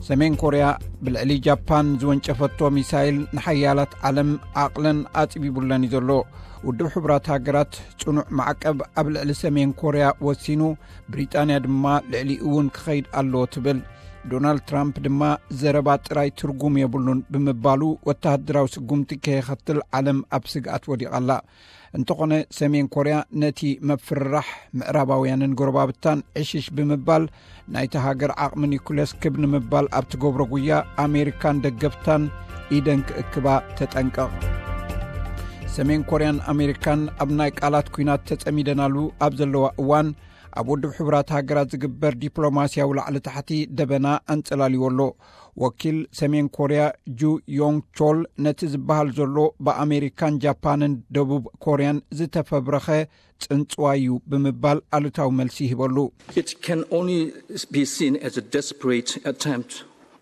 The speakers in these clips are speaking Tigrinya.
ሰሜን ኮርያ ብልዕሊ ጃፓን ዝወንጨፈቶ ሚሳይል ንሓያላት ዓለም ዓቕለን ኣጽቢቡለን እዩ ዘሎ። ውድብ ሕቡራት ሃገራት ጽኑዕ ማዕቀብ ኣብ ልዕሊ ሰሜን ኮርያ ወሲኑ፣ ብሪጣንያ ድማ ልዕሊኡ እውን ክኸይድ ኣለዎ ትብል። ዶናልድ ትራምፕ ድማ ዘረባ ጥራይ ትርጉም የብሉን ብምባሉ፣ ወተሃደራዊ ስጉምቲ ከየኸትል ዓለም ኣብ ስግኣት ወዲቓ ኣላ። እንተኾነ፣ ሰሜን ኮርያ ነቲ መፍርራሕ ምዕራባውያንን ጎረባብታን ዕሽሽ ብምባል፣ ናይቲ ሃገር ዓቕሚ ኒኩለስ ክብ ንምባል ኣብ ትገብሮ ጉያ፣ ኣሜሪካን ደገፍታን ኢደን ክእክባ ተጠንቀቕ። ሰሜን ኮርያን ኣሜሪካን ኣብ ናይ ቃላት ኲናት ተጸሚደናሉ ኣብ ዘለዋ እዋን፣ ኣብ ውድብ ሕቡራት ሃገራት ዝግበር ዲፕሎማስያዊ ላዕሊ ታሕቲ ደበና ኣንጸላልዎ ኣሎ። ወኪል ሰሜን ኮርያ ጁ ዮንግ ቾል፣ ነቲ ዝበሃል ዘሎ ብኣሜሪካን ጃፓንን ደቡብ ኮርያን ዝተፈብረኸ ጽንጽዋይ እዩ ብምባል ኣሉታዊ መልሲ ይህበሉ። It can only be seen as a desperate attempt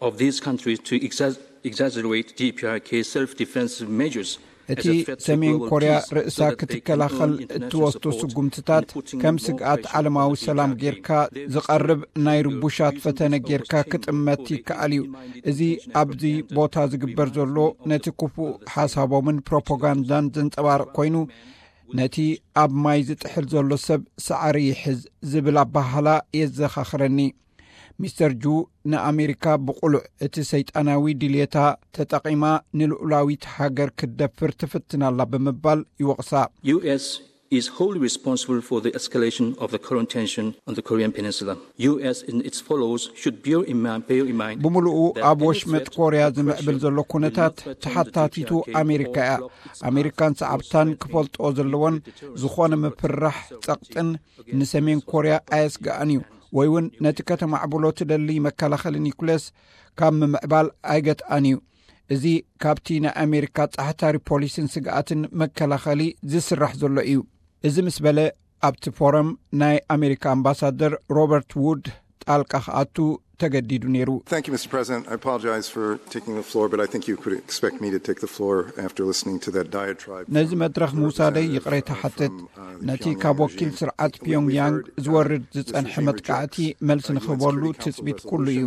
of these countries to exas- exaggerate D P R K's self-defense measures. እቲ ሰሜን ኮርያ ርእሳ ክትከላኸል እትወስዶ ስጉምትታት ከም ስግኣት ዓለማዊ ሰላም ጌርካ ዝቐርብ ናይ ርቡሻት ፈተነ ጌርካ ክጥመት ይከኣል እዩ። እዚ ኣብዚ ቦታ ዝግበር ዘሎ፣ ነቲ ክፉእ ሓሳቦምን ፕሮፓጋንዳን ዘንጸባርቕ ኮይኑ፣ ነቲ ኣብ ማይ ዝጥሕል ዘሎ ሰብ ሳዕሪ ይሕዝ ዝብል ኣባህላ የዘኻኽረኒ። ሚስተር ጁ፣ ንኣሜሪካ ብቕሉዕ እቲ ሰይጣናዊ ድልየታ ተጠቒማ ንልኡላዊት ሃገር ክትደፍር ትፍትን ኣላ ብምባል ይወቕሳ። U S is wholly responsible for the escalation of the current tension on the Korean Peninsula. U S and its followers should bear in mind, bear in mind ብምሉኡ ኣብ ወሽመጥ ኮርያ ዝምዕብል ዘሎ ኩነታት ተሓታቲቱ ኣሜሪካ እያ። ኣሜሪካን ሰዓብታን ክፈልጦ ዘለዎን፣ ዝኾነ ምፍራሕ ጸቕጥን ንሰሜን ኮርያ ኣየስግኣን እዩ፣ ወይ እውን ነቲ ከተማዕብሎ ትደሊ መከላኸሊ ኒኩለስ ካብ ምምዕባል ኣይገትኣን እዩ። እዚ ካብቲ ናይ ኣሜሪካ ጻሕታሪ ፖሊሲን ስግኣትን መከላኸሊ ዝስራሕ ዘሎ እዩ። እዚ ምስ በለ፣ ኣብቲ ፎረም ናይ ኣሜሪካ ኣምባሳደር ሮበርት ውድ ጣልቃ ክኣቱ ተገዲዱ ነይሩ። Thank you, Mister President. I apologize for taking the floor, but I think you could expect me to take the floor after listening to that diatribe. ነዚ መድረኽ ምውሳደይ ይቕሬታ ሓትት። ነቲ ካብ ወኪል ስርዓት ፒዮንግያንግ ዝወርድ ዝጸንሐ መጥቃዕቲ መልሲ ንኽህበሉ ትጽቢት ኩሉ እዩ።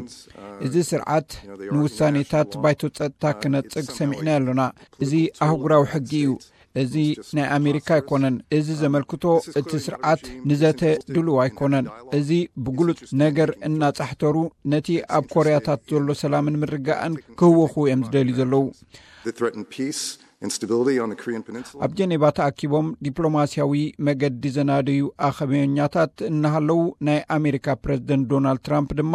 እዚ ስርዓት ንውሳኔታት ባይቶ ጸጥታ ክነጽግ ሰሚዕና ኣሎና። እዚ ኣህጉራዊ ሕጊ እዩ። እዚ ናይ ኣሜሪካ ኣይኮነን። እዚ ዘመልክቶ፣ እቲ ስርዓት ንዘተ ድሉው ኣይኮነን። እዚ ብግሉጽ ነገር እናጻሕተሩ፣ ነቲ ኣብ ኮርያታት ዘሎ ሰላምን ምርጋእን ክህወኹ እዮም ዝደልዩ ዘለዉ። That threaten peace and stability on the Korean Peninsula. ኣብ ጀኔቫ ተኣኪቦም ዲፕሎማስያዊ መገዲ ዘናደዩ ኣኸበኛታት እናሃለዉ፣ ናይ ኣሜሪካ ፕረዚደንት ዶናልድ ትራምፕ ድማ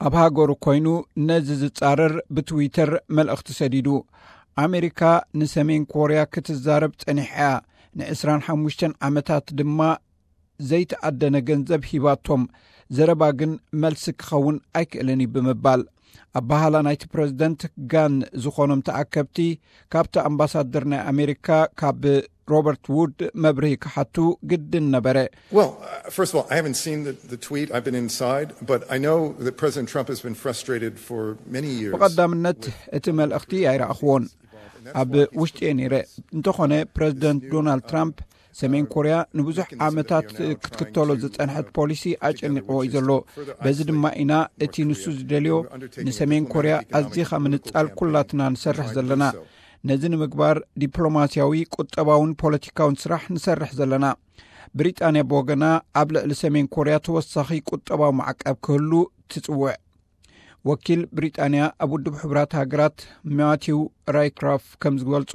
ኣብ ሃገሩ ኮይኑ ነዚ ዝጻረር ብትዊተር መልእኽቲ ሰዲዱ። ኣሜሪካ ንሰሜን ኮርያ ክትዛረብ ጸኒሓ እያ። ንዕስራን ሓሙሽተን ዓመታት ድማ ዘይተኣደነ ገንዘብ ሂባቶም። ዘረባ ግን መልሲ ክኸውን ኣይክእልን እዩ ብምባል፣ ኣባህላ ናይቲ ፕረዚደንት ጋን ዝኾኖም ተኣከብቲ ካብቲ ኣምባሳደር ናይ ኣሜሪካ ካብ ሮበርት ውድ መብርሂ ክሓቱ ግድን ነበረ። Well, uh, first of all, I haven't seen the, the tweet. I've been inside, but I know that President Trump has been frustrated for many years. ብቐዳምነት እቲ መልእኽቲ ኣይረኣኽዎን፣ ኣብ ውሽጢ እየ ነይረ። እንተኾነ፣ ፕረዚደንት ዶናልድ ትራምፕ ሰሜን ኮርያ ንብዙሕ ዓመታት ክትክተሎ ዝጸንሐት ፖሊሲ ኣጨኒቕዎ እዩ ዘሎ። በዚ ድማ ኢና እቲ ንሱ ዝደልዮ ንሰሜን ኮርያ ኣዚኻ ምንጻል ኩላትና ንሰርሕ ዘለና። ነዚ ንምግባር ዲፕሎማስያዊ፣ ቁጠባውን ፖለቲካውን ስራሕ ንሰርሕ ዘለና። ብሪጣንያ ብወገና ኣብ ልዕሊ ሰሜን ኮርያ ተወሳኺ ቁጠባዊ ማዕቀብ ክህሉ ትጽውዕ። ወኪል ብሪጣንያ ኣብ ውድብ ሕቡራት ሃገራት ማቲው ራይክራፍ ከም ዝገልጾ፣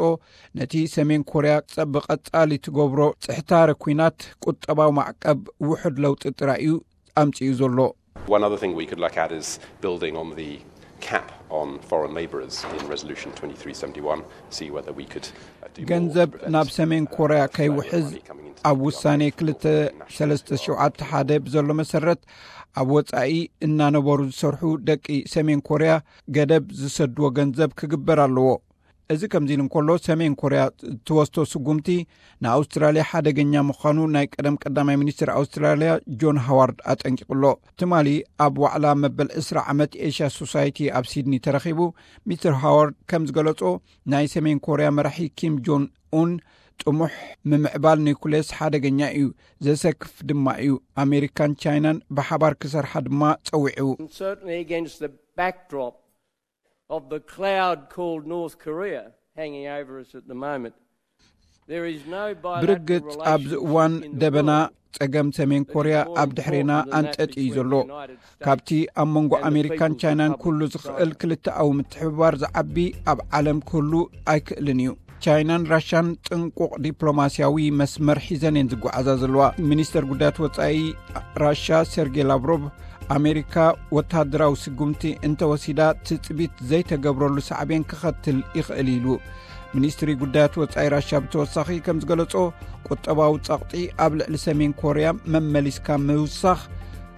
ነቲ ሰሜን ኮርያ ጸ- ብቐጻሊ ትገብሮ ጽሕታረ ኲናት ቁጠባዊ ማዕቀብ ውሑድ ለውጢ ጥራይ እዩ ኣምጺኡ ዘሎ። One other thing we could look at is building on the cap on foreign labourers in Resolution twenty-three seventy-one, see whether we could uh, do more ገንዘብ to prevent, ናብ ሰሜን uh, ኮርያ Korea's ከይውሕዝ money coming into ኣብ the ውሳኔ government ክልተ or national ሰለስተ ሸውዓተ ሓደ ብዘሎ መሰረት፣ ኣብ ወጻኢ እናነበሩ ዝሰርሑ ደቂ ሰሜን ኮርያ ገደብ ዝሰድዎ ገንዘብ ክግበር ኣለዎ። እዚ ከምዚ ኢሉ እንከሎ፣ ሰሜን ኮርያ ትወስዶ ስጉምቲ ንኣውስትራልያ ሓደገኛ ምዃኑ ናይ ቀደም ቀዳማይ ሚኒስትር ኣውስትራልያ ጆን ሃዋርድ ኣጠንቂቑ ኣሎ። ትማሊ ኣብ ዋዕላ መበል ዕስራ ዓመት ኤሽያ ሶሳይቲ ኣብ ሲድኒ ተረኺቡ፣ ሚስተር ሃዋርድ ከም ዝገለጾ፣ ናይ ሰሜን ኮርያ መራሒ ኪም ጆን ኡን ጥሙሕ ምምዕባል ኒኩሌስ ሓደገኛ እዩ፣ ዘሰክፍ ድማ እዩ። ኣሜሪካን ቻይናን ብሓባር ክሰርሓ ድማ ጸዊዑ። And certainly against the backdrop of the cloud called North Korea hanging over us at the moment. There is no ብርግጽ ኣብዚ እዋን ደበና ጸገም ሰሜን ኮርያ ኣብ ድሕሬና ኣንጠጥ እዩ ዘሎ። ካብቲ ኣብ መንጎ ኣሜሪካን ቻይናን ኩሉ ዝኽእል ክልተኣዊ ምትሕብባር ዝዓቢ ኣብ ዓለም ክህሉ ኣይክእልን እዩ። ቻይናን ራሻን ጽንቁቕ ዲፕሎማስያዊ መስመር ሒዘን እየን ዝጓዓዛ ዘለዋ። ሚኒስተር ጉዳያት ወጻኢ ራሻ ሴርጌ ላቭሮቭ፣ ኣሜሪካ ወታደራዊ ስጉምቲ እንተወሲዳ ትጽቢት ዘይተገብረሉ ሳዕቤን ክኸትል ይኽእል ኢሉ። ሚኒስትሪ ጉዳያት ወጻኢ ራሻ ብተወሳኺ ከም ዝገለጾ፣ ቁጠባዊ ጸቕጢ ኣብ ልዕሊ ሰሜን ኮርያ መመሊስካ ምውሳኽ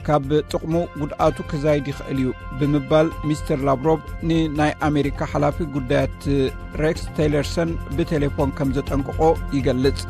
ካብ ጥቕሙ ጉድኣቱ ክዛይድ ይኽእል እዩ ብምባል ሚስተር ላቭሮቭ ንናይ ኣሜሪካ ሓላፊ ጉዳያት ሬክስ ቴይለርሰን ብቴሌፎን ከም ዘጠንቅቖ ይገልጽ።